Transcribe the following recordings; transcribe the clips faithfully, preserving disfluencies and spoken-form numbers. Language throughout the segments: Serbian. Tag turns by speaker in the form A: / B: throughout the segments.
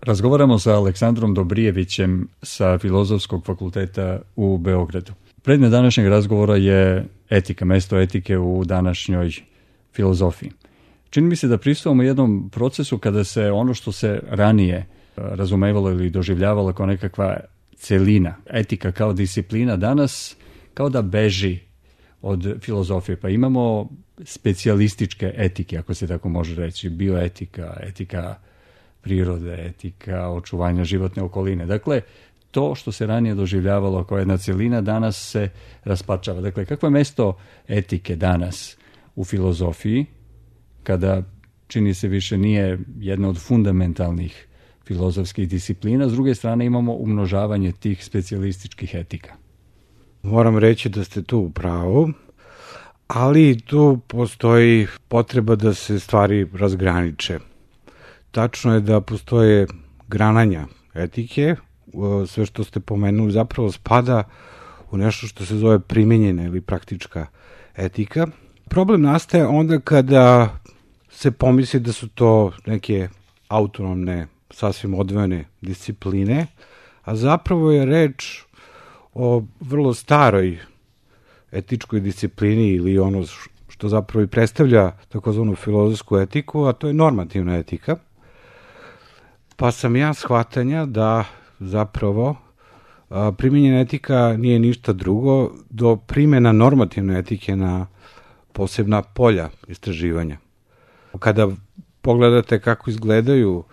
A: Razgovaramo sa Aleksandrom Dobrijevićem sa Filozofskog fakulteta u Beogradu. Predmet današnjeg razgovora je etika, mesto etike u današnjoj filozofiji. Čini mi se da pristupamo jednom procesu kada se ono što se ranije razumevalo ili doživljavalo kao nekakva celina, etika kao disciplina, danas kao da beži od filozofije. Pa imamo specijalističke etike, ako se tako može reći, bioetika, etika prirode, etika očuvanja životne okoline. Dakle, to što se ranije doživljavalo kao jedna celina, danas se raspačava. Dakle, kakvo je mesto etike danas u filozofiji, kada čini se više nije jedna od fundamentalnih filozofskih disciplina, s druge strane imamo umnožavanje tih specijalističkih etika?
B: Moram reći da ste tu u pravu, ali tu postoji potreba da se stvari razgraniče. Tačno je da postoje grananja etike, sve što ste pomenuli zapravo spada u nešto što se zove primenjena ili praktička etika. Problem nastaje onda kada se pomisli da su to neke autonomne, sasvim odvojene discipline, a zapravo je reč o vrlo staroj etičkoj disciplini ili ono što zapravo i predstavlja takozvanu filozofsku etiku, a to je normativna etika. Pa sam ja shvatanja da zapravo a, primjenjena etika nije ništa drugo do primjena normativne etike na posebna polja istraživanja. Kada pogledate kako izgledaju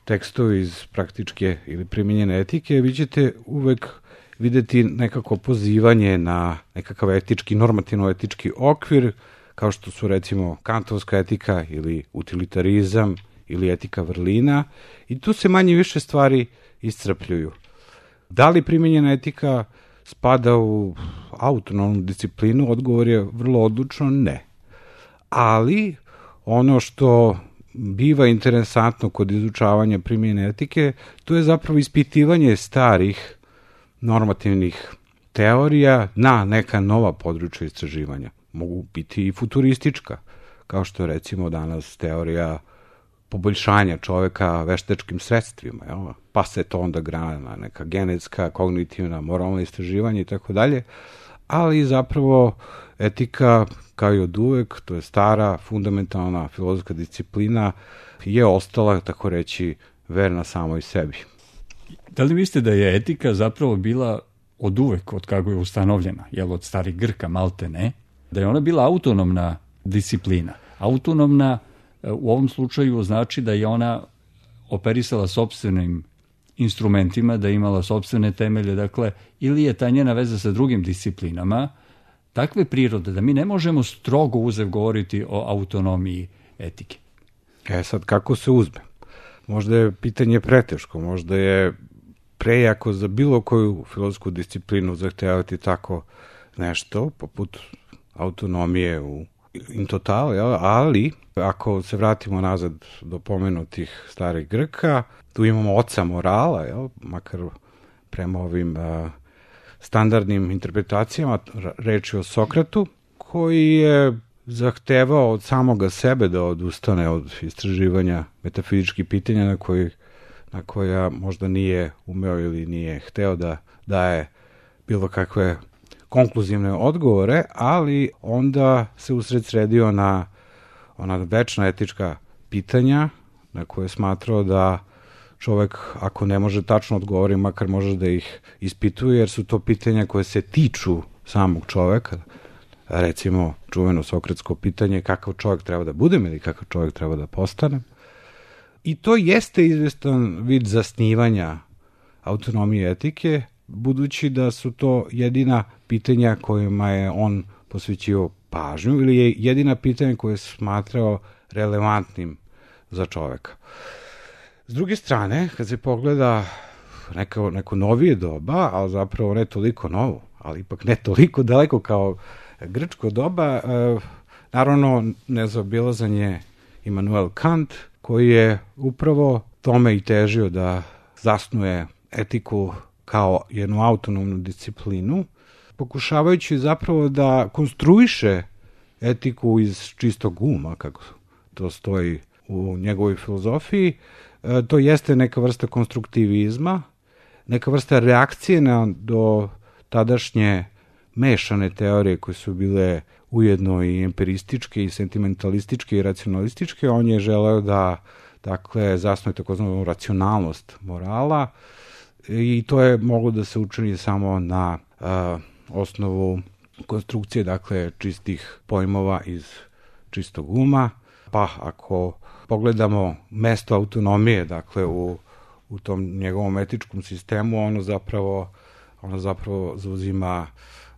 B: tekstovi iz praktičke ili primjenjene etike, vi ćete uvek videti nekako pozivanje na nekakav etički, normativno-etički okvir, kao što su recimo kantovska etika ili utilitarizam ili etika vrlina, i tu se manje više stvari iscrpljuju. Da li primjenjena etika spada u autonomnu disciplinu? Odgovor je vrlo odlučno ne. Ali ono što biva interesantno kod izučavanja primjenjene etike, to je zapravo ispitivanje starih normativnih teorija na neka nova područja istraživanja. Mogu biti i futuristička, kao što je recimo danas teorija poboljšanja čoveka veštačkim sredstvima, jel? Pa se to onda grana na neka genetska, kognitivna, moralna istraživanja i tako dalje, ali zapravo etika, kao i od uvek, to je stara, fundamentalna filozofska disciplina, je ostala, tako reći, verna samoj sebi.
A: Da li mislite da je etika zapravo bila od uvek, od kako je ustanovljena, jel od starih Grka, malte ne, da je ona bila autonomna disciplina? Autonomna u ovom slučaju znači da je ona operisala sopstvenim instrumentima, da je imala sopstvene temelje, dakle, ili je ta njena veza sa drugim disciplinama takve prirode da mi ne možemo strogo uzev govoriti o autonomiji etike.
B: E sad, kako se uzme? Možda je pitanje preteško, možda je prejako za bilo koju filozofsku disciplinu zahtevati tako nešto, poput autonomije u in total, jel? Ali ako se vratimo nazad do pomenutih starih Grka, tu imamo oca morala, jel? Makar prema ovim a, standardnim interpretacijama, reč je o Sokratu, koji je zahtevao od samoga sebe da odustane od istraživanja metafizičkih pitanja na, koji, na koja možda nije umeo ili nije hteo da daje bilo kakve konkluzivne odgovore, ali onda se usred sredio na ona večna etička pitanja na koje je smatrao da čovek, ako ne može tačno odgovoriti, makar može da ih ispituje, jer su to pitanja koje se tiču samog čoveka. Recimo, čuveno sokratsko pitanje kakav čovjek treba da budem ili kakav čovjek treba da postanem. I to jeste izvestan vid zasnivanja autonomije etike, budući da su to jedina pitanja kojima je on posvećio pažnju ili je jedina pitanja koje je smatrao relevantnim za čoveka. S druge strane, kad se pogleda neko, neko novije doba, ali zapravo ne toliko novo, ali ipak ne toliko daleko kao grčko doba, e, naravno nezaobilazan je Immanuel Kant, koji je upravo tome i težio da zasnuje etiku kao jednu autonomnu disciplinu, pokušavajući zapravo da konstruiše etiku iz čistog uma, kako to stoji u njegovoj filozofiji, to jeste neka vrsta konstruktivizma, neka vrsta reakcije na do tadašnje mešane teorije koje su bile ujedno i empirističke i sentimentalističke i racionalističke. On je želeo da dakle zasnuje takozvanu racionalnost morala i to je moglo da se učini samo na uh, osnovu konstrukcije, dakle čistih pojmova iz čistog uma. Pa ako pogledamo mesto autonomije, dakle u, u tom njegovom etičkom sistemu, ono zapravo, ono zapravo zauzima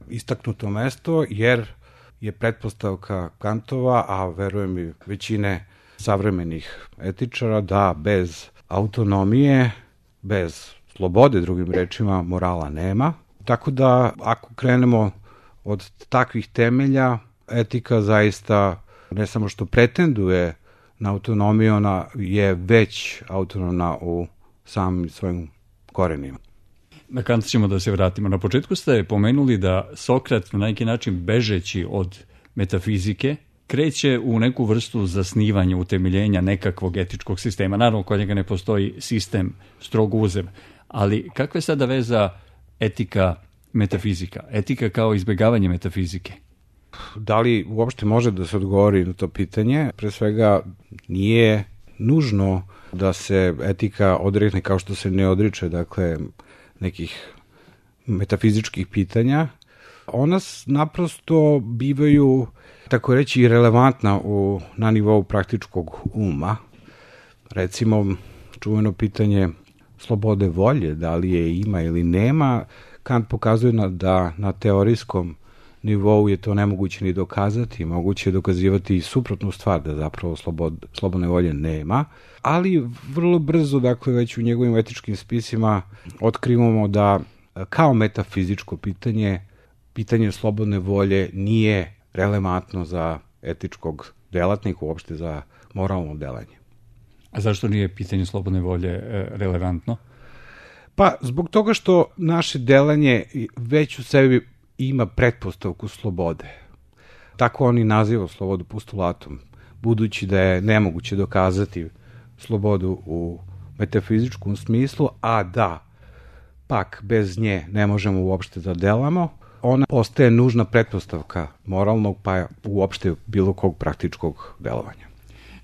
B: istaknuto mesto, jer je pretpostavka Kantova, a verujem i većine savremenih etičara, da bez autonomije, bez slobode, drugim rečima, morala nema. Tako da, ako krenemo od takvih temelja, etika zaista ne samo što pretenduje na autonomiju, ona je već autonomna u samim svojim korenima.
A: Na Kant ćemo da se vratimo. Na početku ste pomenuli da Sokrat na neki način bežeći od metafizike kreće u neku vrstu zasnivanja, utemeljenja nekakvog etičkog sistema. Naravno, kod njega ne postoji sistem strogo uzem, ali kakva je sada veza etika metafizika? Etika kao izbjegavanje metafizike?
B: Da li uopšte može da se odgovori na to pitanje? Pre svega nije nužno da se etika odrekne kao što se ne odriče, dakle, nekih metafizičkih pitanja. Ona naprosto bivaju, tako reći, irelevantna u, na nivou praktičkog uma. Recimo, čuveno pitanje slobode volje, da li je ima ili nema, Kant pokazuje na, da na teorijskom nivou je to nemoguće ni dokazati, moguće je dokazivati i suprotnu stvar, da zapravo slobod, slobodne volje nema, ali vrlo brzo, dakle, već u njegovim etičkim spisima otkrivamo da kao metafizičko pitanje, pitanje slobodne volje nije relevantno za etičkog delatnika, uopšte za moralno delanje.
A: A zašto nije pitanje slobodne volje relevantno?
B: Pa, zbog toga što naše delanje već u sebi ima pretpostavku slobode. Tako oni naziva slobodu postulatom, budući da je nemoguće dokazati slobodu u metafizičkom smislu, a da pak bez nje ne možemo uopšte da delamo, ona postaje nužna pretpostavka moralnog, pa uopšte bilo kog praktičkog delovanja.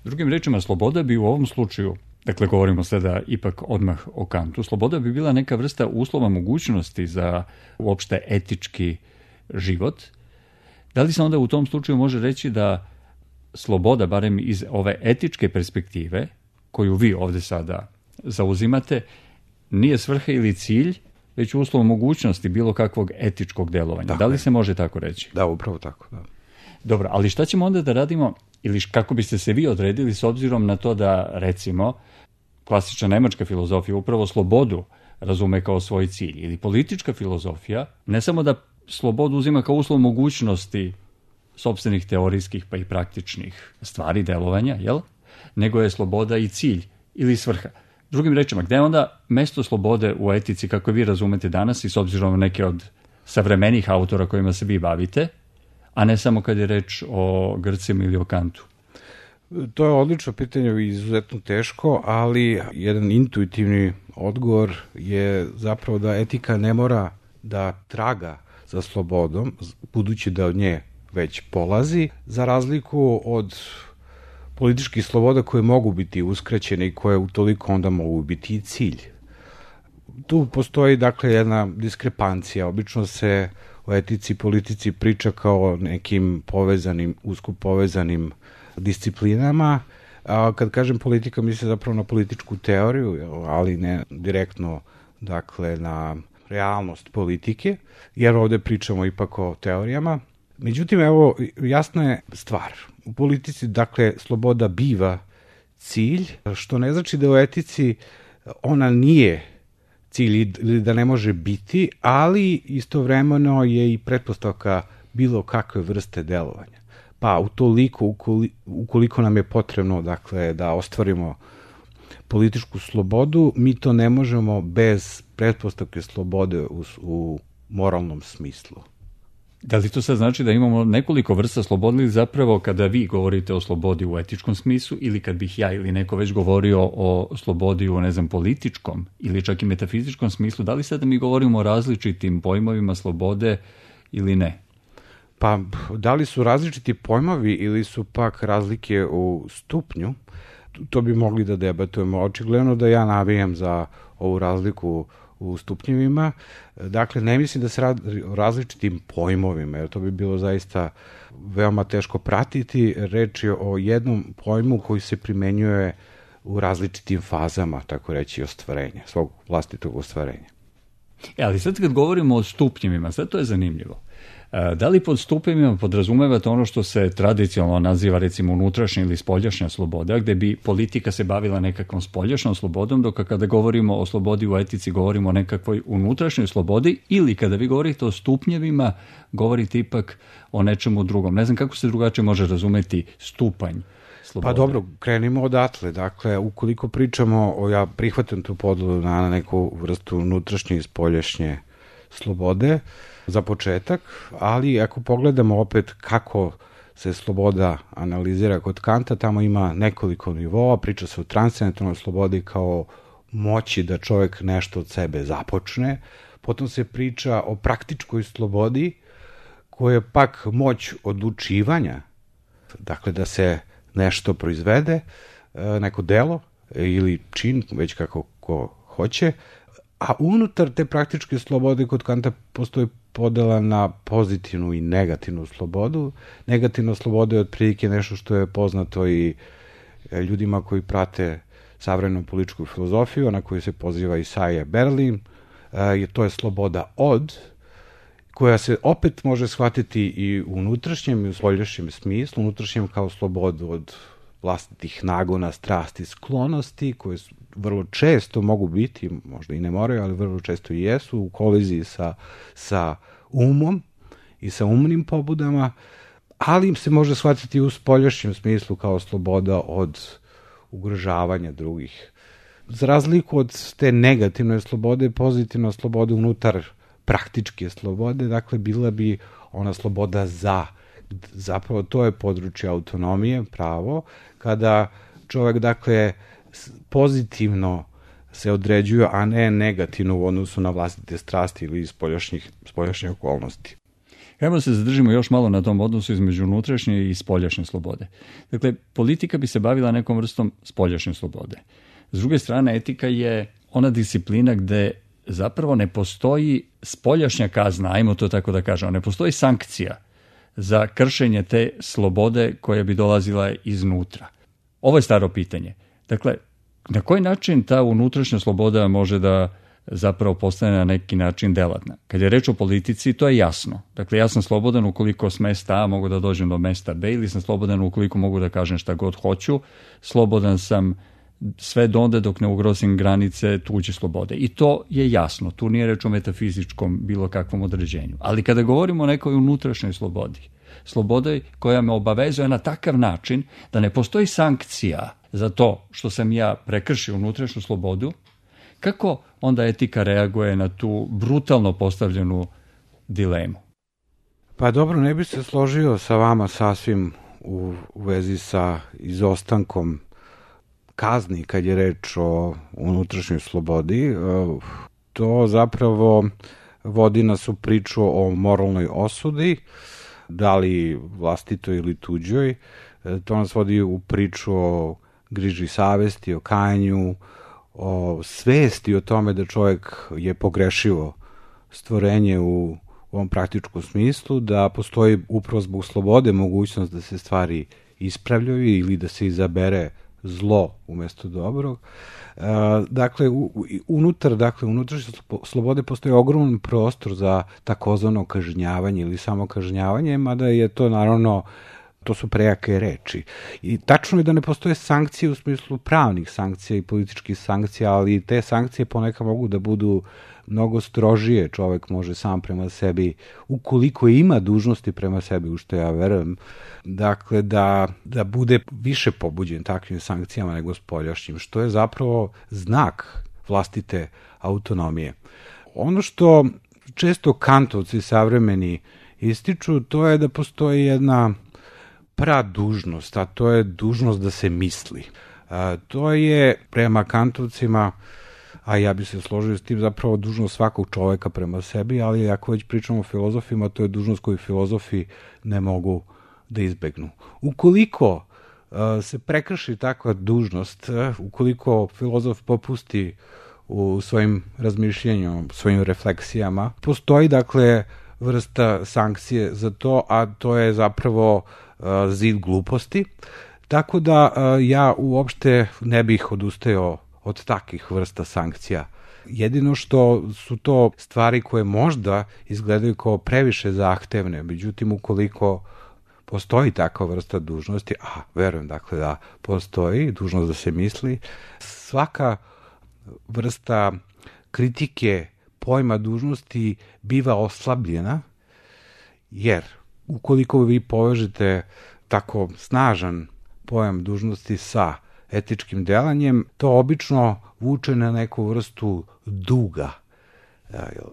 A: Drugim rečima, sloboda bi u ovom slučaju, dakle govorimo sada ipak odmah o Kantu, sloboda bi bila neka vrsta uslova mogućnosti za uopšte etički život. Da li se onda u tom slučaju može reći da sloboda, barem iz ove etičke perspektive, koju vi ovde sada zauzimate, nije svrha ili cilj, već uslov mogućnosti bilo kakvog etičkog delovanja? Dakle, da li se može tako reći?
B: Da, upravo tako, da.
A: Dobro, ali šta ćemo onda da radimo, ili kako biste se vi odredili s obzirom na to da, recimo, klasična nemačka filozofija upravo slobodu razume kao svoj cilj, ili politička filozofija ne samo da slobodu uzima kao uslov mogućnosti sopstvenih teorijskih pa i praktičnih stvari delovanja, jel? Nego je sloboda i cilj ili svrha. Drugim rečima, gde je onda mesto slobode u etici kako vi razumete danas i s obzirom na neke od savremenih autora kojima se vi bavite, a ne samo kad je reč o Grcima ili o Kantu?
B: To je odlično pitanje i izuzetno teško, ali jedan intuitivni odgovor je zapravo da etika ne mora da traga za slobodom, budući da od nje već polazi, za razliku od političkih sloboda koje mogu biti uskraćene i koje utoliko onda mogu biti i cilj. Tu postoji, dakle, jedna diskrepancija. Obično se o etici i politici priča kao o nekim povezanim, usko povezanim disciplinama. A kad kažem politika, mislim zapravo na političku teoriju, ali ne direktno, dakle, na realnost politike, jer ovde pričamo ipak o teorijama. Međutim, evo, jasna je stvar. U politici, dakle, sloboda biva cilj, što ne znači da u etici ona nije cilj ili da ne može biti, ali istovremeno je i pretpostavka bilo kakve vrste delovanja. Pa utoliko, ukoliko, ukoliko nam je potrebno, dakle, da ostvarimo političku slobodu, mi to ne možemo bez pretpostavke slobode u, u moralnom smislu.
A: Da li to sad znači da imamo nekoliko vrsta slobode ili zapravo kada vi govorite o slobodi u etičkom smislu ili kad bih ja ili neko već govorio o slobodi u, ne znam, političkom ili čak i metafizičkom smislu, da li sad mi govorimo o različitim pojmovima slobode ili ne?
B: Pa, da li su različiti pojmovi ili su pak razlike u stupnju, to bi mogli da debatujemo. Očigledno da ja navijam za ovu razliku u stupnjevima. Dakle, ne mislim da se radi o različitim pojmovima, jer to bi bilo zaista veoma teško pratiti. Reč je o jednom pojmu koji se primenjuje u različitim fazama, tako reći, ostvarenja, svog vlastitog ostvarenja.
A: E, ali sad kad govorimo o stupnjevima, sad to je zanimljivo. Da li pod stupnjevima podrazumevate ono što se tradicionalno naziva recimo unutrašnja ili spoljašnja sloboda, gde bi politika se bavila nekakvom spoljašnjom slobodom, dok kada govorimo o slobodi u etici govorimo o nekakvoj unutrašnjoj slobodi, ili kada vi govorite o stupnjevima govorite ipak o nečemu drugom. Ne znam kako se drugačije može razumeti stupanj slobode.
B: Pa dobro, krenimo odatle. Dakle, ukoliko pričamo, o, ja prihvatam tu podelu na neku vrstu unutrašnje i spoljašnje slobode, za početak, ali ako pogledamo opet kako se sloboda analizira kod Kanta, tamo ima nekoliko nivoa, priča se o transcendentalnoj slobodi kao moći da čovjek nešto od sebe započne, potom se priča o praktičkoj slobodi, koja je pak moć odlučivanja, dakle da se nešto proizvede, neko delo ili čin, već kako ko hoće, a unutar te praktičke slobode kod Kanta postoji podela na pozitivnu i negativnu slobodu. Negativna sloboda je otprilike nešto što je poznato i ljudima koji prate savremenu političku filozofiju, na koju se poziva Isaiah Berlin. E, to je sloboda od, koja se opet može shvatiti i u unutrašnjem i u spoljašnjem smislu. Unutrašnjem kao slobodu od vlastitih nagona, strasti, sklonosti, koje vrlo često mogu biti, možda i ne moraju, ali vrlo često i jesu, u koliziji sa, sa umom i sa umnim pobudama, ali im se može shvatiti u spoljašnjem smislu kao sloboda od ugrožavanja drugih. Za razliku od te negativne slobode, pozitivna sloboda unutar praktičke slobode, dakle, bila bi ona sloboda za, zapravo to je područje autonomije, pravo, kada čovjek, dakle, pozitivno se određuje, a ne negativno u odnosu na vlastite strasti ili spoljašnjih, spoljašnje okolnosti.
A: Hajmo se zadržimo još malo na tom odnosu između unutrašnje i spoljašnje slobode. Dakle, politika bi se bavila nekom vrstom spoljašnje slobode. S druge strane, etika je ona disciplina gde zapravo ne postoji spoljašnja kazna, ajmo to tako da kažemo, ne postoji sankcija za kršenje te slobode koja bi dolazila iznutra. Ovo je staro pitanje. Dakle, na koji način ta unutrašnja sloboda može da zapravo postane na neki način delatna? Kad je reč o politici, to je jasno. Dakle, ja sam slobodan ukoliko s mesta A mogu da dođem do mesta B, ili sam slobodan ukoliko mogu da kažem šta god hoću. Slobodan sam sve donde dok ne ugrozim granice tuđe slobode. I to je jasno. Tu nije reč o metafizičkom bilo kakvom određenju. Ali kada govorimo o nekoj unutrašnjoj slobodi, slobode koja me obavezuje na takav način da ne postoji sankcija za to što sam ja prekršio unutrašnju slobodu, kako onda etika reaguje na tu brutalno postavljenu dilemu?
B: Pa dobro, ne bih se složio sa vama sasvim u, u vezi sa izostankom kazni kad je reč o unutrašnjoj slobodi. To zapravo vodi nas u priču o moralnoj osudi, da li vlastitoj ili tuđoj. To nas vodi u priču o griži savesti, o kajanju, o svesti o tome da čovjek je pogrešivo stvorenje u ovom praktičkom smislu, da postoji upravo zbog slobode mogućnost da se stvari ispravljaju ili da se izabere zlo umjesto dobrog. Dakle, unutar, dakle, unutrašnje slobode postoji ogroman prostor za takozvano kažnjavanje ili samo kažnjavanje, mada je to naravno, to su prejake reči. I tačno je da ne postoje sankcije u smislu pravnih sankcija i političkih sankcija, ali te sankcije ponekad mogu da budu mnogo strožije. Čovjek može sam prema sebi, ukoliko ima dužnosti prema sebi, u što ja verujem, dakle, da, da bude više pobuđen takvim sankcijama nego spoljašnjim, što je zapravo znak vlastite autonomije. Ono što često kantovci savremeni ističu, to je da postoji jedna pradužnost, a to je dužnost da se misli. A, to je prema kantovcima, a ja bi se složio s tim, zapravo dužnost svakog čoveka prema sebi, ali ako već pričamo o filozofima, to je dužnost koju filozofi ne mogu da izbegnu. Ukoliko a, se prekrši takva dužnost, a, ukoliko filozof popusti u svojim razmišljanjima, svojim refleksijama, postoji dakle vrsta sankcije za to, a to je zapravo uh, zid gluposti. Tako da uh, ja uopšte ne bih odustajao od takvih vrsta sankcija. Jedino što su to stvari koje možda izgledaju kao previše zahtevne, međutim ukoliko postoji takva vrsta dužnosti, a verujem dakle da postoji dužnost da se misli, svaka vrsta kritike pojma dužnosti biva oslabljena, jer ukoliko vi povežete tako snažan pojam dužnosti sa etičkim delanjem, to obično vuče na neku vrstu duga.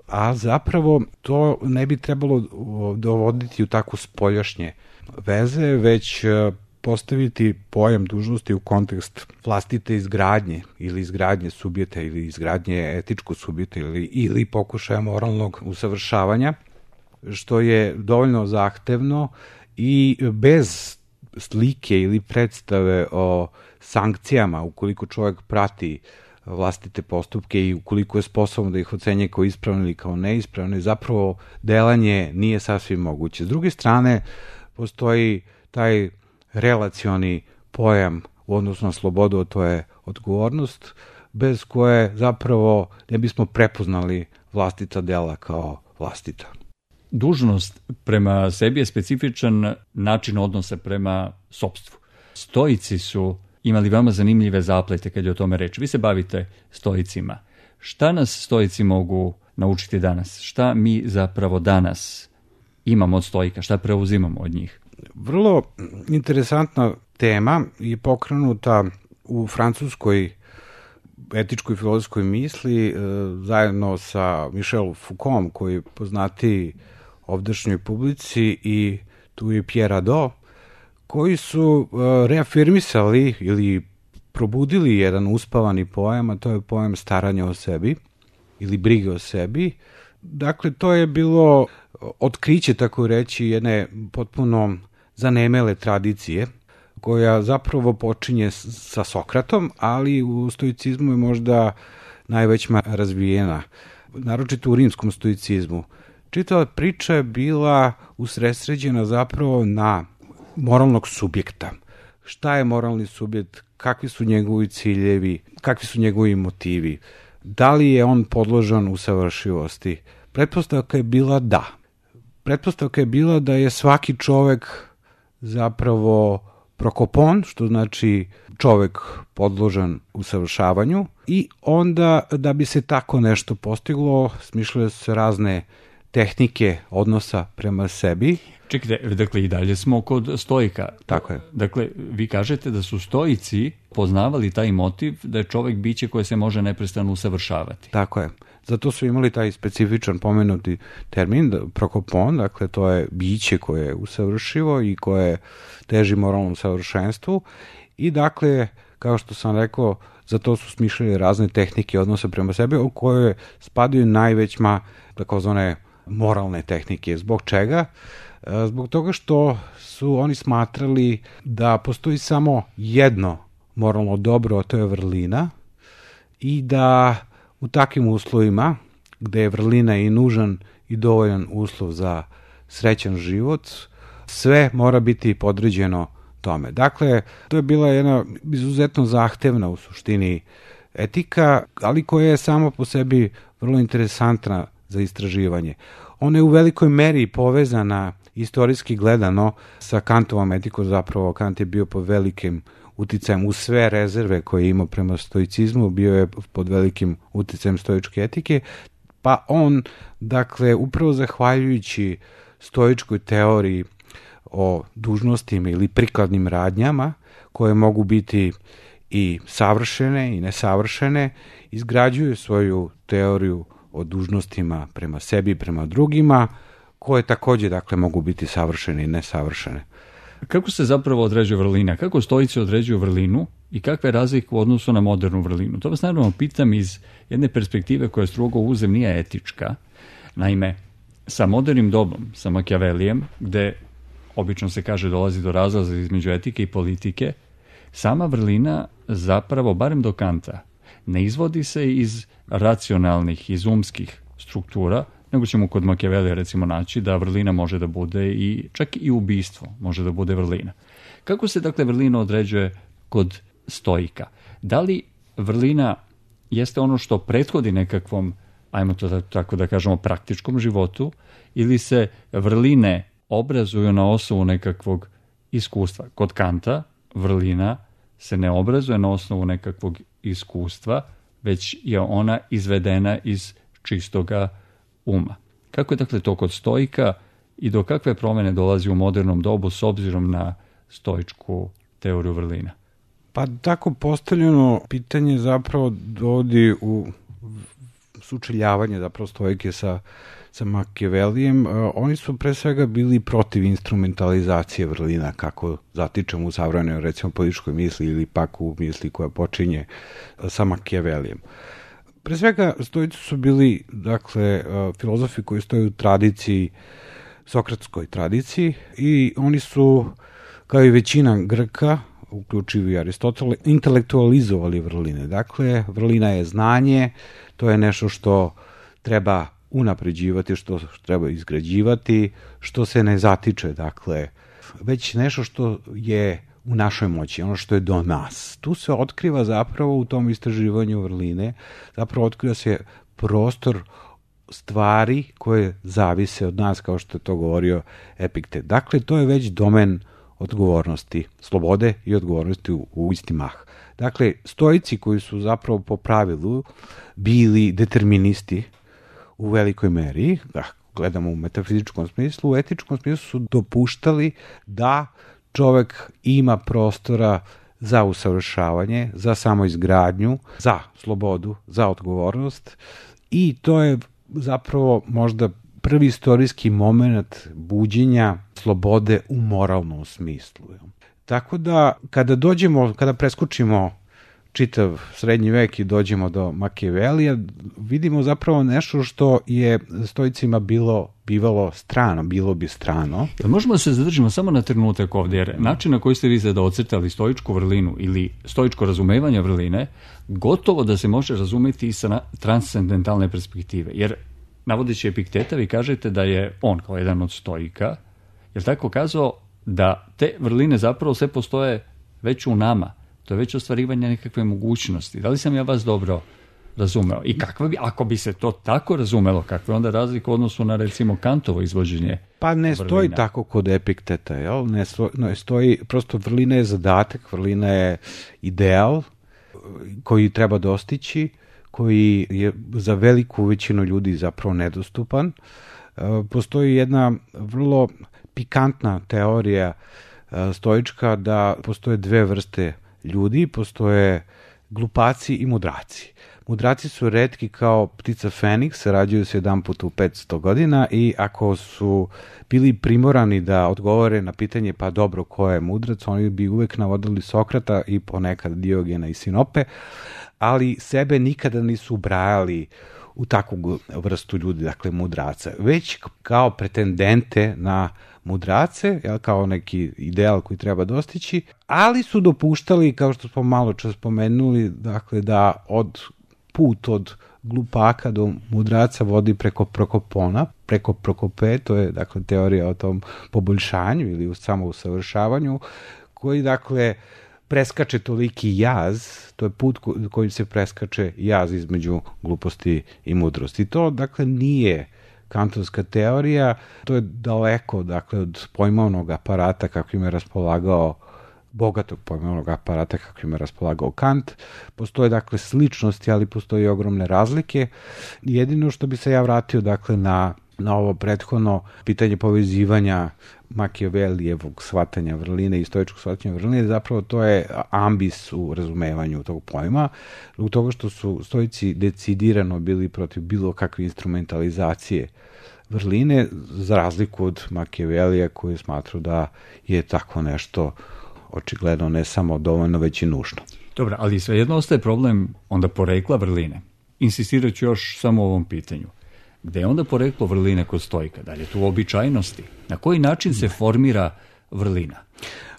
B: A zapravo to ne bi trebalo dovoditi u tako spoljašnje veze, već postaviti pojam dužnosti u kontekst vlastite izgradnje ili izgradnje subjeta ili izgradnje etičkog subjeta ili, ili pokušaja moralnog usavršavanja, što je dovoljno zahtevno i bez slike ili predstave o sankcijama, ukoliko čovjek prati vlastite postupke i ukoliko je sposobno da ih ocenje kao ispravno ili kao neispravno, zapravo delanje nije sasvim moguće. S druge strane, postoji taj relacioni pojam u odnosu na slobodu, a to je odgovornost, bez koje zapravo ne bismo prepoznali vlastita dela kao vlastita.
A: Dužnost prema sebi je specifičan način odnosa prema sopstvu. Stoici su imali veoma zanimljive zaplete kad je o tome reč. Vi se bavite stoicima. Šta nas stoici mogu naučiti danas? Šta mi zapravo danas imamo od stoika? Šta preuzimamo od njih?
B: Vrlo interesantna tema je pokrenuta u francuskoj etičkoj filozofskoj misli e, zajedno sa Michel Foucault, koji je poznati ovdašnjoj publici, i tu je Pierre Hadot, koji su e, reafirmisali ili probudili jedan uspavani pojam, a to je pojam staranja o sebi ili brige o sebi. Dakle, to je bilo otkriće, tako reći, jedne potpuno zanemele tradicije, koja zapravo počinje sa Sokratom, ali u stoicizmu je možda najvećma razvijena, naročito u rimskom stoicizmu. Čitava priča je bila usredsređena zapravo na moralnog subjekta. Šta je moralni subjekt, kakvi su njegovi ciljevi, kakvi su njegovi motivi, da li je on podložan usavršivosti. Pretpostavka je bila da. Pretpostavka je bila da je svaki čovek zapravo prokopon, što znači čovek podložan usavršavanju, i onda da bi se tako nešto postiglo, smišljaju se razne tehnike odnosa prema sebi.
A: Čekajte, dakle i dalje smo kod stoika.
B: Tako je.
A: Dakle, vi kažete da su stoici poznavali taj motiv da je čovek biće koje se može neprestano usavršavati.
B: Tako je. Zato su imali taj specifičan pomenuti termin, prokopon, dakle to je biće koje je usavršivo i koje teži moralnom savršenstvu, i dakle, kao što sam rekao, za to su smišljali razne tehnike odnosa prema sebi, u koje spadaju najvećma takozvane moralne tehnike. Zbog čega? Zbog toga što su oni smatrali da postoji samo jedno moralno dobro, a to je vrlina, i da u takvim uslovima, gde je vrlina i nužan i dovoljan uslov za srećan život, sve mora biti podređeno tome. Dakle, to je bila jedna izuzetno zahtevna u suštini etika, ali koja je sama po sebi vrlo interesantna za istraživanje. Ona je u velikoj meri povezana istorijski gledano sa Kantovom etikom, zapravo Kant je bio pod velikim uticajem, u sve rezerve koje je imao prema stoicizmu, bio je pod velikim uticajem stoičke etike, pa on, dakle, upravo zahvaljujući stoičkoj teoriji o dužnostima ili prikladnim radnjama, koje mogu biti i savršene i nesavršene, izgrađuje svoju teoriju o dužnostima prema sebi i prema drugima, koje takođe, dakle, mogu biti savršene i nesavršene.
A: Kako se zapravo određuje vrlina? Kako stoici određuju vrlinu i kakve je razlike u odnosu na modernu vrlinu? To vas naravno pitam iz jedne perspektive koja strogo uzem nije etička. Naime, sa modernim dobom, sa Makijavelijem, gde obično se kaže dolazi do razlaza između etike i politike, sama vrlina zapravo, barem do Kanta, ne izvodi se iz racionalnih, iz umskih struktura, nego ćemo kod Makijavelija recimo naći da vrlina može da bude i čak i ubistvo može da bude vrlina. Kako se dakle vrlina određuje kod stoika? Da li vrlina jeste ono što prethodi nekakvom, ajmo to tako da kažemo, praktičkom životu, ili se vrline obrazuju na osnovu nekakvog iskustva? Kod Kanta vrlina se ne obrazuje na osnovu nekakvog iskustva, već je ona izvedena iz čistoga uma. Kako je dakle to kod stoika i do kakve promjene dolazi u modernom dobu s obzirom na stoičku teoriju vrlina?
B: Pa tako postavljeno pitanje zapravo dovodi u sučeljavanje zapravo stoike sa, sa Makijavelijem. Oni su pre svega bili protiv instrumentalizacije vrlina, kako zatičemo u savremenoj recimo političkoj misli ili pak u misli koja počinje sa Makijavelijem. Pre svega, stoici su bili, dakle, filozofi koji stoje u tradiciji, sokratskoj tradiciji, i oni su, kao i većina Grka, uključivi Aristotela, intelektualizovali vrline. Dakle, vrlina je znanje, to je nešto što treba unapređivati, što treba izgrađivati, što se ne zatiče, dakle, već nešto što je u našoj moći, ono što je do nas. Tu se otkriva zapravo u tom istraživanju vrline, zapravo otkriva se prostor stvari koje zavise od nas, kao što je to govorio Epiktet. Dakle, to je već domen odgovornosti, slobode i odgovornosti u, u isti mah. Dakle, stoici koji su zapravo po pravilu bili deterministi u velikoj meri, da gledamo u metafizičkom smislu, u etičkom smislu su dopuštali da čovek ima prostora za usavršavanje, za samoizgradnju, za slobodu, za odgovornost, i to je zapravo možda prvi istorijski moment buđenja slobode u moralnom smislu. Tako da kada dođemo, kada preskočimo čitav srednji vek i dođemo do Makijavelija, vidimo zapravo nešto što je stoicima bilo bivalo strano, bilo bi strano.
A: Možemo da se zadržimo samo na trenutak ovdje, jer način na koji ste vi sada ocrtali stoičku vrlinu ili stoičko razumevanje vrline, gotovo da se može razumeti i sa transcendentalne perspektive, jer navodeći Epikteta, vi kažete da je on kao jedan od stoika, jer tako kazao da te vrline zapravo sve postoje već u nama. To je već ostvarivanje nekakve mogućnosti. Da li sam ja vas dobro razumeo? I kakva bi, ako bi se to tako razumelo, kakva je onda razlika u odnosu na recimo Kantovo izvođenje?
B: Pa ne stoji vrlina tako kod Epikteta, jel? Ne stoji, ne stoji, prosto vrlina je zadatak, vrlina je ideal koji treba dostići, koji je za veliku većinu ljudi zapravo nedostupan. Postoji jedna vrlo pikantna teorija stoička da postoje dve vrste ljudi, postoje glupaci i mudraci. Mudraci su retki kao ptica Feniks, rađuju se jedan put u petsto godina, i ako su bili primorani da odgovore na pitanje pa dobro ko je mudrac, oni bi uvek navodili Sokrata i ponekad Diogena i Sinope, ali sebe nikada nisu ubrajali u takvu vrstu ljudi, dakle mudraca, već kao pretendente na mudrace, jel, kao neki ideal koji treba dostići, ali su dopuštali, kao što smo malo čas spomenuli, dakle da od put od glupaka do mudraca vodi preko Prokopona, preko Prokope, to je dakle teorija o tom poboljšanju ili u samousavršavanju, koji dakle preskače toliki jaz, to je put kojim se preskače jaz između gluposti i mudrosti. To dakle nije kantovska teorija, to je daleko dakle od pojmovnog aparata kako im je raspolagao, bogatog pojmovnog aparata kako im je raspolagao Kant. Postoje dakle sličnosti, ali postoje ogromne razlike. Jedino što bi se ja vratio dakle na na ovo prethodno pitanje povezivanja Makijavelijevog shvatanja vrline i stoičkog shvatanja vrline, zapravo to je ambis u razumevanju tog pojma, zbog toga što su stoici decidirano bili protiv bilo kakve instrumentalizacije vrline, za razliku od Makijavelija koji smatrao da je tako nešto očigledno ne samo dovoljno, već i nužno.
A: Dobro, ali svejedno ostaje problem onda porekla vrline. Insistirat ću još samo o ovom pitanju. Gde je onda poreklo vrline kod stoika? Da li je tu običajnosti? Na koji način se formira vrlina?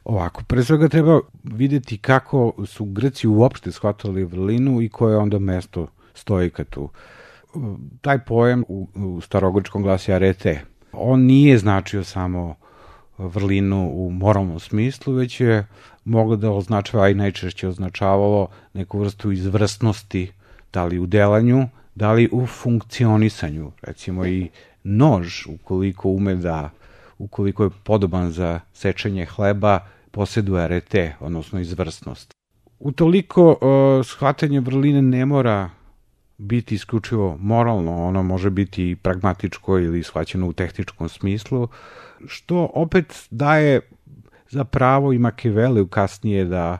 B: Ovako, pre svega treba vidjeti kako su Grci uopšte shvatali vrlinu i koje je onda mesto stoika tu. Taj pojam u, u starogrčkom glasi arete. On nije značio samo vrlinu u moralnom smislu, već je moglo da označava, a i najčešće označavalo neku vrstu izvrsnosti, da li u delanju, da li u funkcionisanju. Recimo i nož, ukoliko ume da, ukoliko je podoban za sečenje hleba, posjeduje arete, odnosno izvrsnost. Utoliko uh, shvatanje vrline ne mora biti isključivo moralno, ono može biti i pragmatičko ili shvaćeno u tehničkom smislu, što opet daje za pravo i Makijaveliju kasnije da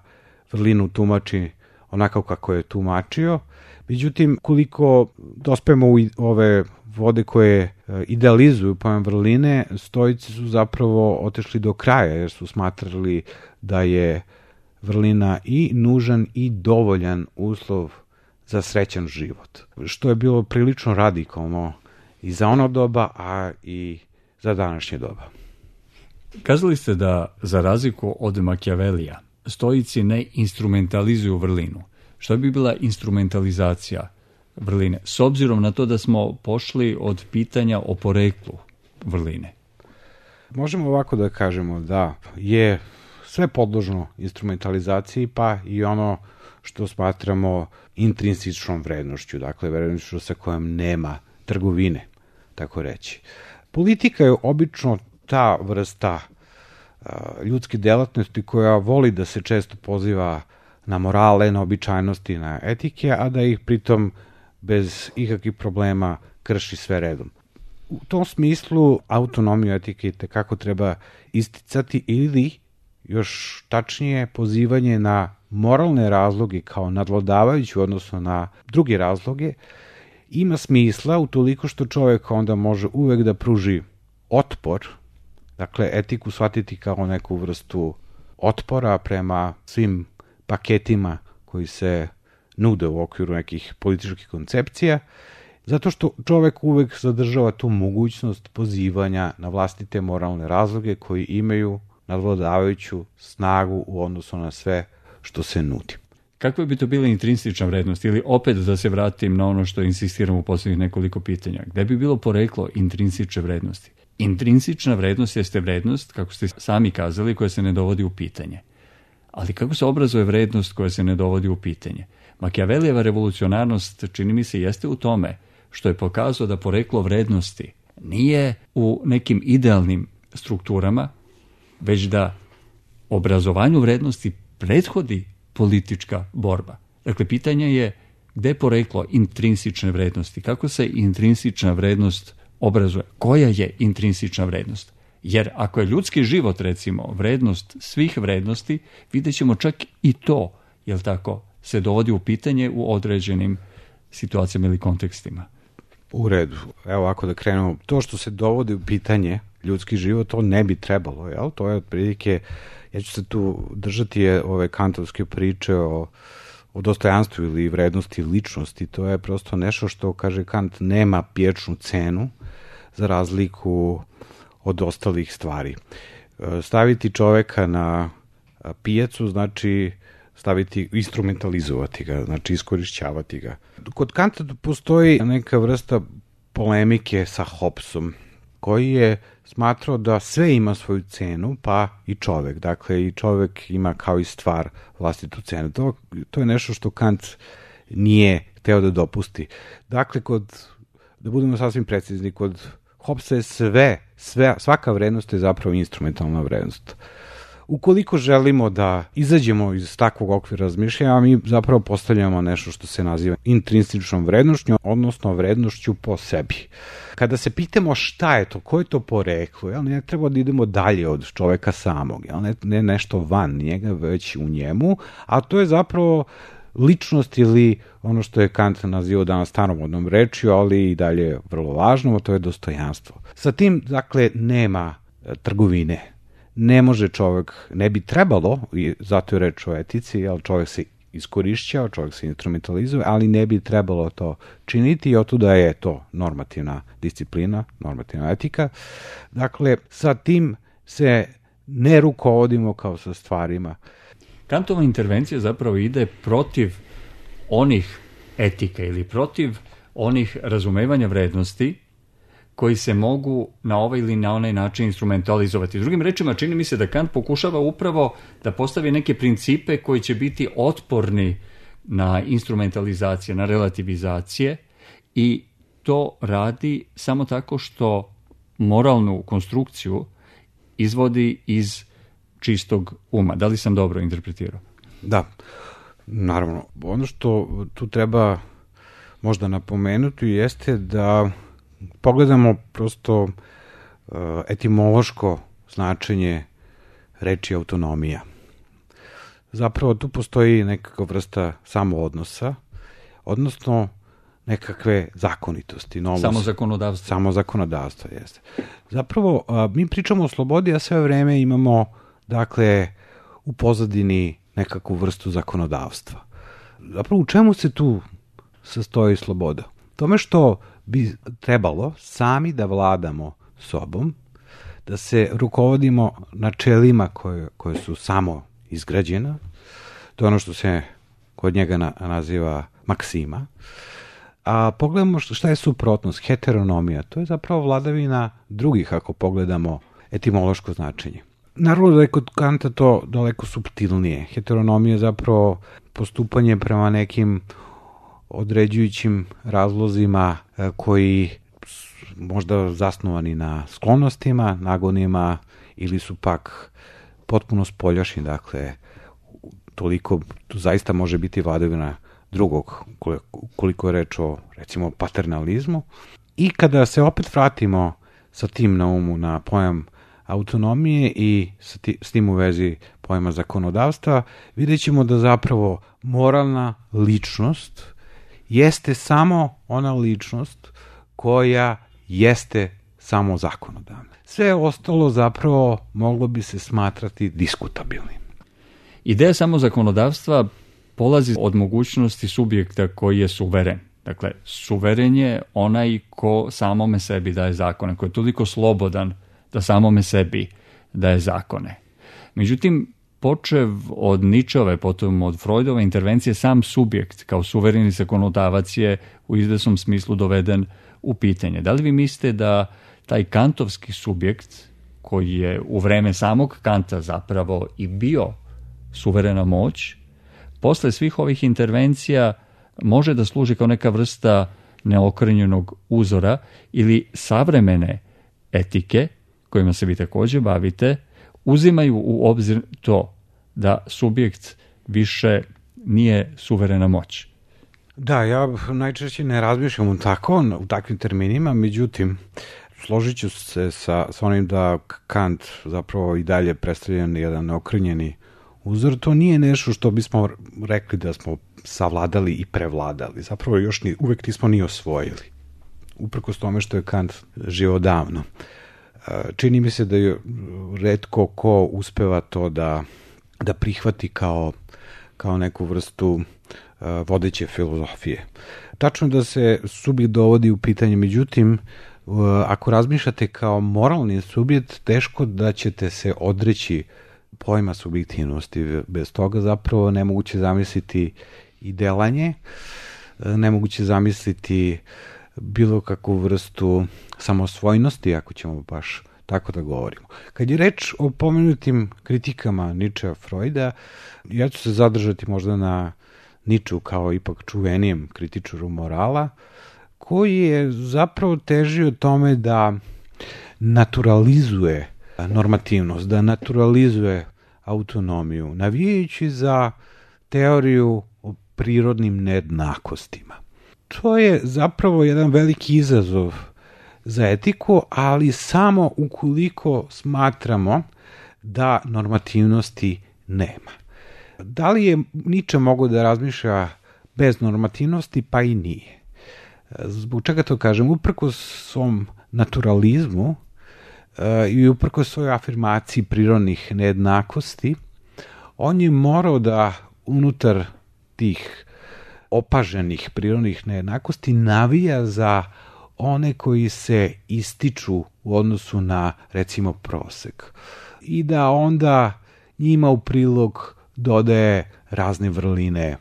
B: vrlinu tumači onako kako je tumačio. Međutim, koliko dospemo u ove vode koje idealizuju pojam vrline, stoici su zapravo otešli do kraja, jer su smatrali da je vrlina i nužan i dovoljan uslov za srećan život, što je bilo prilično radikalno i za ono doba, a i za današnje doba.
A: Kazali ste da, za razliku od Makijavelija, stoici ne instrumentalizuju vrlinu. Šta bi bila instrumentalizacija vrline, s obzirom na to da smo pošli od pitanja o poreklu vrline?
B: Možemo ovako da kažemo da je sve podložno instrumentalizaciji, pa i ono što smatramo intrinsičnom vrednošću, dakle vrednošću sa kojom nema trgovine, tako reći. Politika je obično ta vrsta uh, ljudske delatnosti koja voli da se često poziva na morale, na običajnosti, na etike, a da ih pritom bez ikakvih problema krši sve redom. U tom smislu autonomiju etike kako treba isticati ili još tačnije pozivanje na moralne razloge kao nadvladavajući u odnosu na druge razloge ima smisla utoliko što čovjek onda može uvek da pruži otpor, dakle etiku shvatiti kao neku vrstu otpora prema svim paketima koji se nude u okviru nekih političkih koncepcija, zato što čovek uvek zadržava tu mogućnost pozivanja na vlastite moralne razloge koji imaju nadvladavajuću snagu u odnosu na sve što se nudi.
A: Kakva bi to bila intrinsična vrednost? Ili opet da se vratim na ono što insistiram u posljednjih nekoliko pitanja. Gde bi bilo poreklo intrinsične vrednosti? Intrinsična vrednost jeste vrednost, kako ste sami kazali, koja se ne dovodi u pitanje. Ali kako se obrazuje vrednost koja se ne dovodi u pitanje? Makijavelijeva revolucionarnost, čini mi se, jeste u tome što je pokazao da poreklo vrednosti nije u nekim idealnim strukturama, već da obrazovanju vrednosti prethodi politička borba. Dakle, pitanje je gde je poreklo intrinsične vrednosti, kako se intrinsična vrednost obrazuje, koja je intrinsična vrednost. Jer ako je ljudski život, recimo, vrednost svih vrednosti, vidjet ćemo čak i to, jel tako, se dovodi u pitanje u određenim situacijama ili kontekstima.
B: U redu. Evo, ako da krenemo, to što se dovodi u pitanje ljudski život, to ne bi trebalo, jel? To je otprilike, ja ću se tu držati je ove kantovske priče o, o dostojanstvu ili vrednosti ličnosti, to je prosto nešto što, kaže Kant, nema pječnu cenu za razliku od ostalih stvari. Staviti čoveka na pijacu znači staviti, instrumentalizovati ga, znači iskorišćavati ga. Kod Kanta postoji neka vrsta polemike sa Hobbesom, koji je smatrao da sve ima svoju cenu, pa i čovek. Dakle, i čovek ima kao i stvar vlastitu cenu. To, to je nešto što Kant nije hteo da dopusti. Dakle, kod, da budemo sasvim precizni, kod Hobbesa je sve, sve, svaka vrednost je zapravo instrumentalna vrednost. Ukoliko želimo da izađemo iz takvog okvira razmišljanja, mi zapravo postavljamo nešto što se naziva intrinsičnom vrednošću, odnosno vrednošću po sebi. Kada se pitamo šta je to, ko je to poreklo, jel, ne treba da idemo dalje od čoveka samog, jel, ne, ne nešto van njega, već u njemu, a to je zapravo ličnost ili ono što je Kant nazivao danas staromodnom rečju, ali i dalje vrlo važno, to je dostojanstvo. Sa tim, dakle, nema trgovine. Ne može čovjek, ne bi trebalo, i zato je reč o etici, jer čovjek se iskorišćava, čovjek se instrumentalizuje, ali ne bi trebalo to činiti i otuda je to normativna disciplina, normativna etika. Dakle, sa tim se ne rukovodimo kao sa stvarima.
A: Kantova intervencija zapravo ide protiv onih etika ili protiv onih razumevanja vrednosti koji se mogu na ovaj ili na onaj način instrumentalizovati. Drugim rečima, čini mi se da Kant pokušava upravo da postavi neke principe koji će biti otporni na instrumentalizacije, na relativizacije i to radi samo tako što moralnu konstrukciju izvodi iz čistog uma. Da li sam dobro interpretirao?
B: Da, naravno. Ono što tu treba možda napomenuti jeste da pogledamo prosto etimološko značenje reči autonomija. Zapravo tu postoji nekakva vrsta samoodnosa, odnosno nekakve zakonitosti. Novos,
A: samo zakonodavstvo.
B: Samo zakonodavstvo, jeste. Zapravo, mi pričamo o slobodi, a sve vreme imamo, dakle, u pozadini nekakvu vrstu zakonodavstva. Zapravo, u čemu se tu sastoji sloboda? Tome što bi trebalo sami da vladamo sobom, da se rukovodimo načelima koje, koje su samo izgrađena, to je ono što se kod njega na, naziva maksima, a pogledamo šta je suprotnost, heteronomija, to je zapravo vladavina drugih ako pogledamo etimološko značenje. Naravno da je kod Kanta to daleko suptilnije. Heteronomija je zapravo postupanje prema nekim određujućim razlozima koji su možda zasnovani na sklonostima, nagonima ili su pak potpuno spoljašnji, dakle toliko zaista može biti vladavina drugog, koliko je reč o recimo paternalizmu. I kada se opet vratimo sa tim na umu na pojam autonomije i s, ti, s tim u vezi pojma zakonodavstva, vidjet ćemo da zapravo moralna ličnost jeste samo ona ličnost koja jeste samo zakonodavna. Sve ostalo zapravo moglo bi se smatrati diskutabilnim.
A: Ideja samo zakonodavstva polazi od mogućnosti subjekta koji je suveren. Dakle, suveren je onaj ko samome sebi daje zakone, koji je toliko slobodan da samome sebi daje zakone. Međutim, počev od Ničove, potom od Freudove intervencije, sam subjekt kao suvereni zakonodavac je u izvesnom smislu doveden u pitanje. Da li vi mislite da taj kantovski subjekt, koji je u vreme samog Kanta zapravo i bio suverena moć, posle svih ovih intervencija može da služi kao neka vrsta neokrnjenog uzora ili savremene etike, kojima se vi takođe bavite, uzimaju u obzir to da subjekt više nije suverena moć?
B: Da, ja najčešće ne razmišljam u tako, u takvim terminima, međutim, složit ću se sa, sa onim da Kant zapravo i dalje predstavlja jedan neokrnjeni uzor. To nije nešto što bismo rekli da smo savladali i prevladali. Zapravo još ni, uvek nismo ni osvojili. Uprkos tome što je Kant živeo davno. Čini mi se da je retko ko uspeva to da, da prihvati kao, kao neku vrstu uh, vodeće filozofije. Tačno da se subjekt dovodi u pitanje, međutim, uh, ako razmišljate kao moralni subjekt, teško da ćete se odreći pojma subjektivnosti. Bez toga zapravo nemoguće zamisliti i delanje, nemoguće zamisliti bilo kakvu vrstu samosvojnosti, ako ćemo baš tako da govorimo. Kad je reč o pomenutim kritikama Ničea, Freuda, ja ću se zadržati možda na Niču kao ipak čuvenijem kritičaru morala, koji je zapravo težio tome da naturalizuje normativnost, da naturalizuje autonomiju, navijajući za teoriju o prirodnim nejednakostima. To je zapravo jedan veliki izazov za etiku, ali samo ukoliko smatramo da normativnosti nema. Da li je Nietzsche mogao da razmišlja bez normativnosti? Pa i nije. Zbog čega to kažem? Uprkos svom naturalizmu uh, i uprkos svojoj afirmaciji prirodnih nejednakosti, on je morao da unutar tih opaženih prirodnih nejednakosti navija za one koji se ističu u odnosu na, recimo, prosek. I da onda njima u prilog dodaje razne vrline,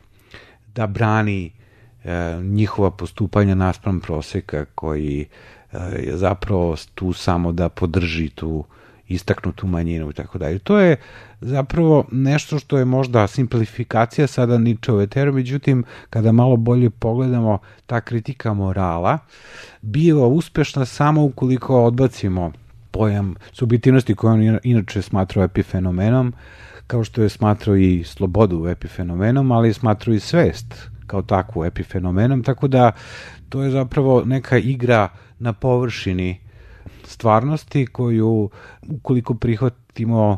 B: da brani e, njihova postupanja naspram proseka koji e, je zapravo tu samo da podrži tu istaknutu manjinu i tako dalje. To je zapravo nešto što je možda simplifikacija sada Nietzscheove teorije, međutim, kada malo bolje pogledamo, ta kritika morala biva uspešna samo ukoliko odbacimo pojam subjektivnosti koju on inače smatrao epifenomenom, kao što je smatrao i slobodu epifenomenom, ali je smatrao i svest kao takvu epifenomenom, tako da to je zapravo neka igra na površini stvarnosti koju, ukoliko prihvatimo,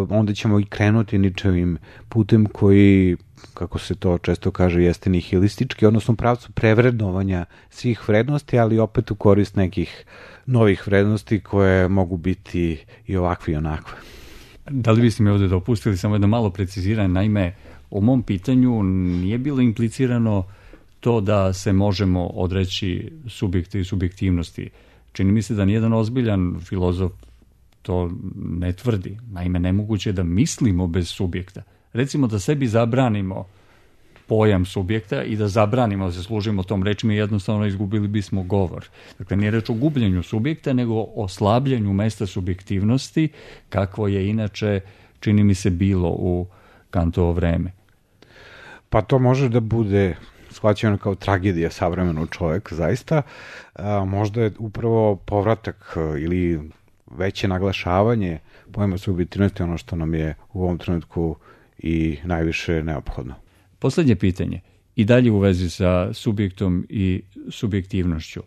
B: onda ćemo i krenuti Nietzscheovim putem koji, kako se to često kaže, jeste nihilistički, odnosno pravcu prevrednovanja svih vrednosti, ali opet u korist nekih novih vrednosti koje mogu biti i ovakve i onakve.
A: Da li biste mi ovdje dopustili samo jedno malo preciziranje? Naime, u mom pitanju nije bilo implicirano to da se možemo odreći subjekte i subjektivnosti. Čini mi se da nijedan ozbiljan filozof to ne tvrdi. Naime, nemoguće je da mislimo bez subjekta. Recimo da sebi zabranimo pojam subjekta i da zabranimo da se služimo tom rečima, jednostavno izgubili bismo govor. Dakle, nije reč o gubljenju subjekta, nego o slabljenju mesta subjektivnosti, kakvo je inače, čini mi se, bilo u Kantovo vreme.
B: Pa to može da bude shvaćeno kao tragedija savremenog čoveka, zaista. A, možda je upravo povratak ili veće naglašavanje pojma subjektivnosti ono što nam je u ovom trenutku i najviše neophodno.
A: Posljednje pitanje, i dalje u vezi sa subjektom i subjektivnošću.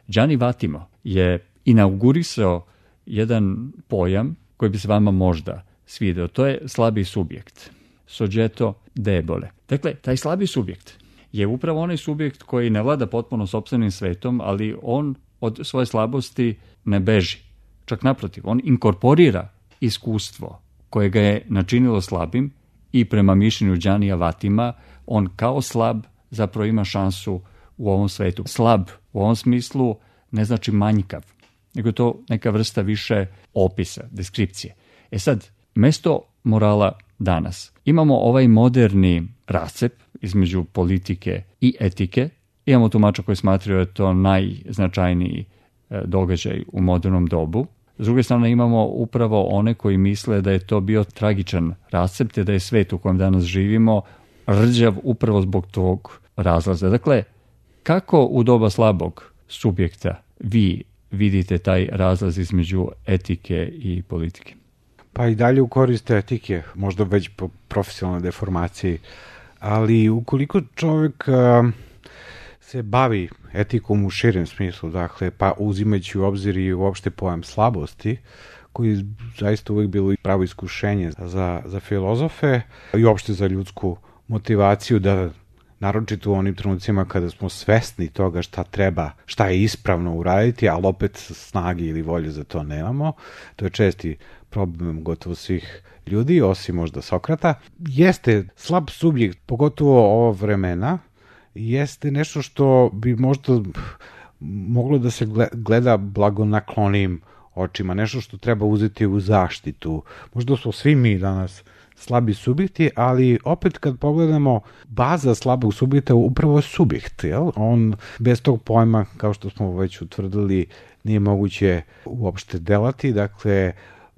A: Gianni Vattimo je inaugurisao jedan pojam koji bi se vama možda svideo. To je slabi subjekt. Soggetto debole. Dakle, taj slabi subjekt je upravo onaj subjekt koji ne vlada potpuno sopstvenim svetom, ali on od svoje slabosti ne beži. Čak naprotiv, on inkorporira iskustvo koje ga je načinilo slabim i prema mišljenju Giannija Vattima, on kao slab zapravo ima šansu u ovom svetu. Slab u ovom smislu ne znači manjkav, nego je to neka vrsta više opisa, deskripcije. E sad, mesto morala danas. Imamo ovaj moderni rascep između politike i etike. Imamo tumača koji smatraju da je to najznačajniji događaj u modernom dobu. S druge strane imamo upravo one koji misle da je to bio tragičan rascep, te da je svet u kojem danas živimo rđav upravo zbog tog razlaza. Dakle, kako u doba slabog subjekta vi vidite taj razlaz između etike i politike?
B: Pa i dalje u korist etike, možda već po profesionalnoj deformaciji, ali ukoliko čovjek uh, se bavi etikom u širem smislu, dakle, pa uzimajući u obzir i uopšte pojam slabosti, koji zaista uvijek bilo pravo iskušenje za, za filozofe i uopšte za ljudsku motivaciju da naročito u onim trenucima kada smo svesni toga šta treba, šta je ispravno uraditi, ali opet snage ili volje za to nemamo. To je česti problem gotovo svih ljudi, osim možda Sokrata. Jeste slab subjekt, pogotovo ovo vremena, jeste nešto što bi možda moglo da se gleda blagonaklonim očima, nešto što treba uzeti u zaštitu. Možda smo svi mi danas slabi subjekti, ali opet kad pogledamo, baza slabog subjekta upravo je subjekt. Jel? On bez tog pojma, kao što smo već utvrdili, nije moguće uopšte delati. Dakle,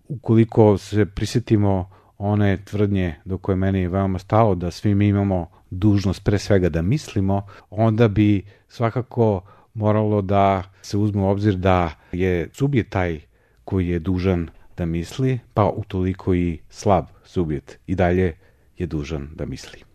B: ukoliko se prisjetimo one tvrdnje do koje meni je veoma stalo, da svi mi imamo dužnost pre svega da mislimo, onda bi svakako moralo da se uzme u obzir da je subjekt taj koji je dužan da misli, pa utoliko i slab subjekt i dalje je dužan da misli.